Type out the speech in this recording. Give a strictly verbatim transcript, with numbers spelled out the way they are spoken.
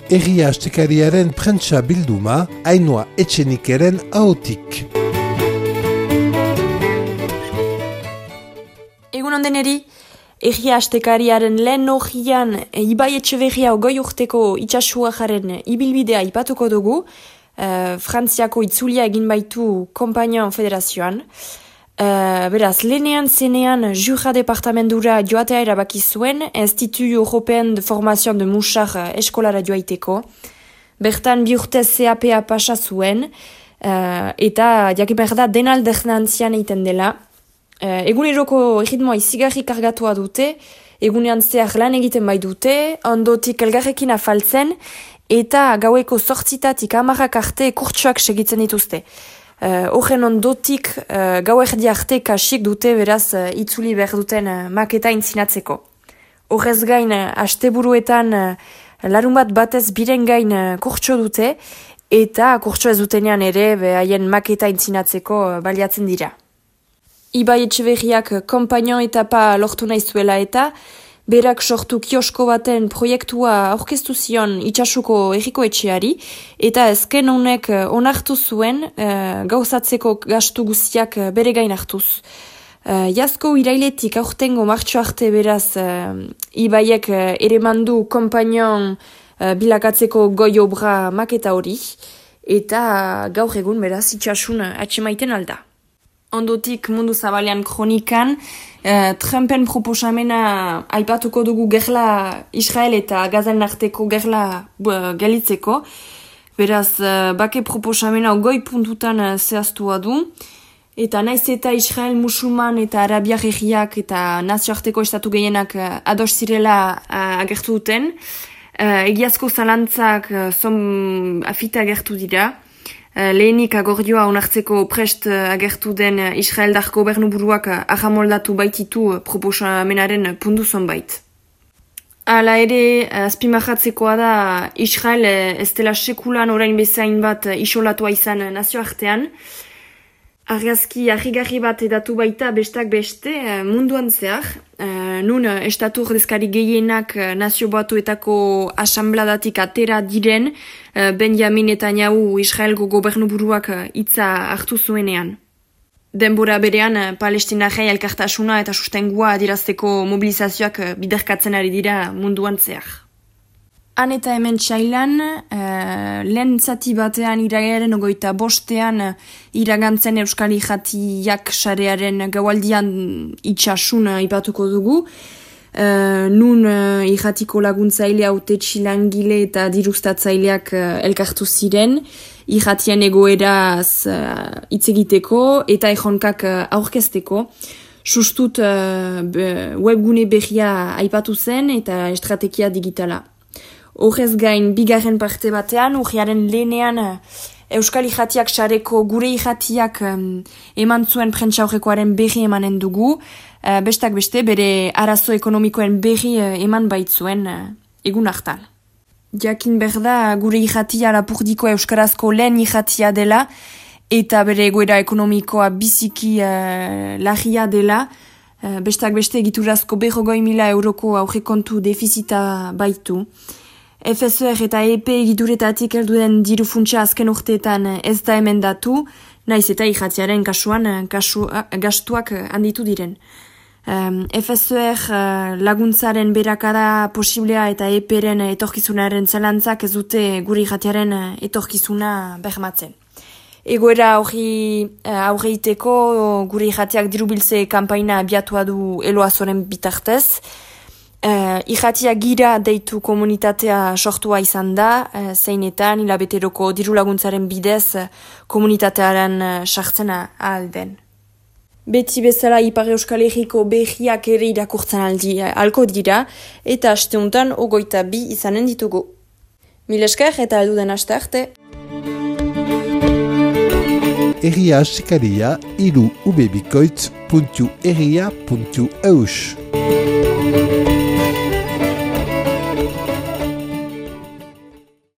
Egia Astekariaren prentsa bilduma, Ainhoa Etxenikeren ahotik. Egun ondeneri, Egia Astekariaren lehen hogian Ibai Etxeberria ogoi urteko itxasuajaren ibilbidea ipatuko dugu, uh, Frantziako itzulia egin baitu Kompainon Federazioan. Uh, beraz, lehenean zenean Jura departamendura joatea erabaki zuen, Institut Européen de Formation de Mouchard eskolara joaiteko. Bertan bi urte C A P A pasa zuen, uh, eta jakiper da denaldernantzian egiten dela. Uh, eguneroko erritmoa izigarri kargatua dute, egunean zehar lan egiten bai dute, ondotik elgarrekin afaltzen, eta gaueko zortzitatik amarrak arte kurtsuak segitzen dituzte. Horren uh, ondotik uh, gau erdi arte kasik dute beraz uh, itzuli behar duten uh, maketa intzinatzeko. Horrez gain, uh, asteburuetan uh, larun bat batez biren gain uh, kurtso dute, eta kurtso ez dutenean ere haien maketa intzinatzeko uh, baliatzen dira. Ibai Etxeberriak Kompainon etapa lortu nahi zuela eta berak sortu kiosko baten proiektua aurkeztu zion itxasuko erriko etxeari, eta ezken honek onartu zuen uh, gauzatzeko gastu guztiak bere gain hartuz. Uh, Jazko irailetik aurtengo martxo arte beraz uh, Ibaiek uh, ere mandu Kompainon uh, bilakatzeko goi obra maketa hori, eta uh, gaur egun beraz itxasun uh, atxemaiten alda. Ondotik mundu zabalean kronikan, eh, Trumpen proposamena aipatuko dugu gerla Israel eta Gazan arteko gerla uh, gelitzeko. Beraz, uh, bake proposamena goi puntutan uh, zehaztua du. Eta naiz eta Israel musulman eta Arabiar herriak eta nazioarteko estatu gehienak uh, ados zirela uh, agertu duten. Uh, egiazko zalantzak uh, zon afita agertu dira. Lehenik agordioa onartzeko prest agertu den Israeldar gobernuburuak ahamoldatu baititu proposamenaren puntu zonbait. Hala ere, azpimarratzekoa da Israel ez dela sekulan orain bezain bat isolatua izan nazioartean. Argazki harrigarri bat edatu baita bestak beste munduan zehar. Nun estatu ordezkari gehienak nazio batuetako asanbladatik atera diren Benjamin Netanyahu Israelgo gobernuburuak hitza hartu zuenean. Denbora berean Palestinarrei elkartasuna eta sustengua adierazteko mobilizazioak biderkatzen ari dira munduan zehar. Han eta hemen txailan, uh, lehen zati batean iragaren ogoita bostean uh, iragantzen Euskal Irratiak sarearen gaualdian itxasun uh, ipatuko dugu. Uh, nun uh, irratiko laguntzaile haute txilangile eta dirustatzaileak uh, elkartu ziren, irratien egoeraz uh, hitz egiteko eta erronkak uh, aurkezteko. Sustut uh, webgune berria aipatu zen eta estrategia digitala. Horrez gain, bigarren parte batean, urriaren lehenean Euskal Irratiak sareko gure irratiak um, eman zuen prentsa horrekoaren berri emanen dugu, uh, bestak beste bere arazo ekonomikoen berri uh, eman baitzuen uh, egun hartan. Jakin berda, gure irratia Lapurdiko euskarazko lehen irratia dela, eta bere egoera ekonomikoa biziki uh, larria dela, uh, bestak beste egiturazko berrogoi mila euroko aurrekontu defizita baitu. F S R eta E P egiduretatik helduen diru funtsa azken urteetan ez da emendatu, naiz eta irratiaren kasuan kasu, gastuak handitu diren. Um, F S R laguntzaren berakada posiblea eta E P-ren etorkizunaren zalantzak ez dute gure irratiaren etorkizuna bermatzen. Egoera hori aurreiteko gure irratiak dirubiltze kanpaina abiatua du Eloazoren bitartez. Uh, Irratia gira deitu komunitatea sortua izan da, uh, zeinetan hilabeteroko diru laguntzaren bidez uh, komunitatearen uh, sartzena alden. Beti bezala Ipar Euskal Herriko berriak ere irakurtzen aldi uh, alko dira, eta asteuntan ogoita bi izanen ditugu. Mil esker eta alduden aste arte. Egia Asekaria iru ubebikoitz puntu egia puntu eus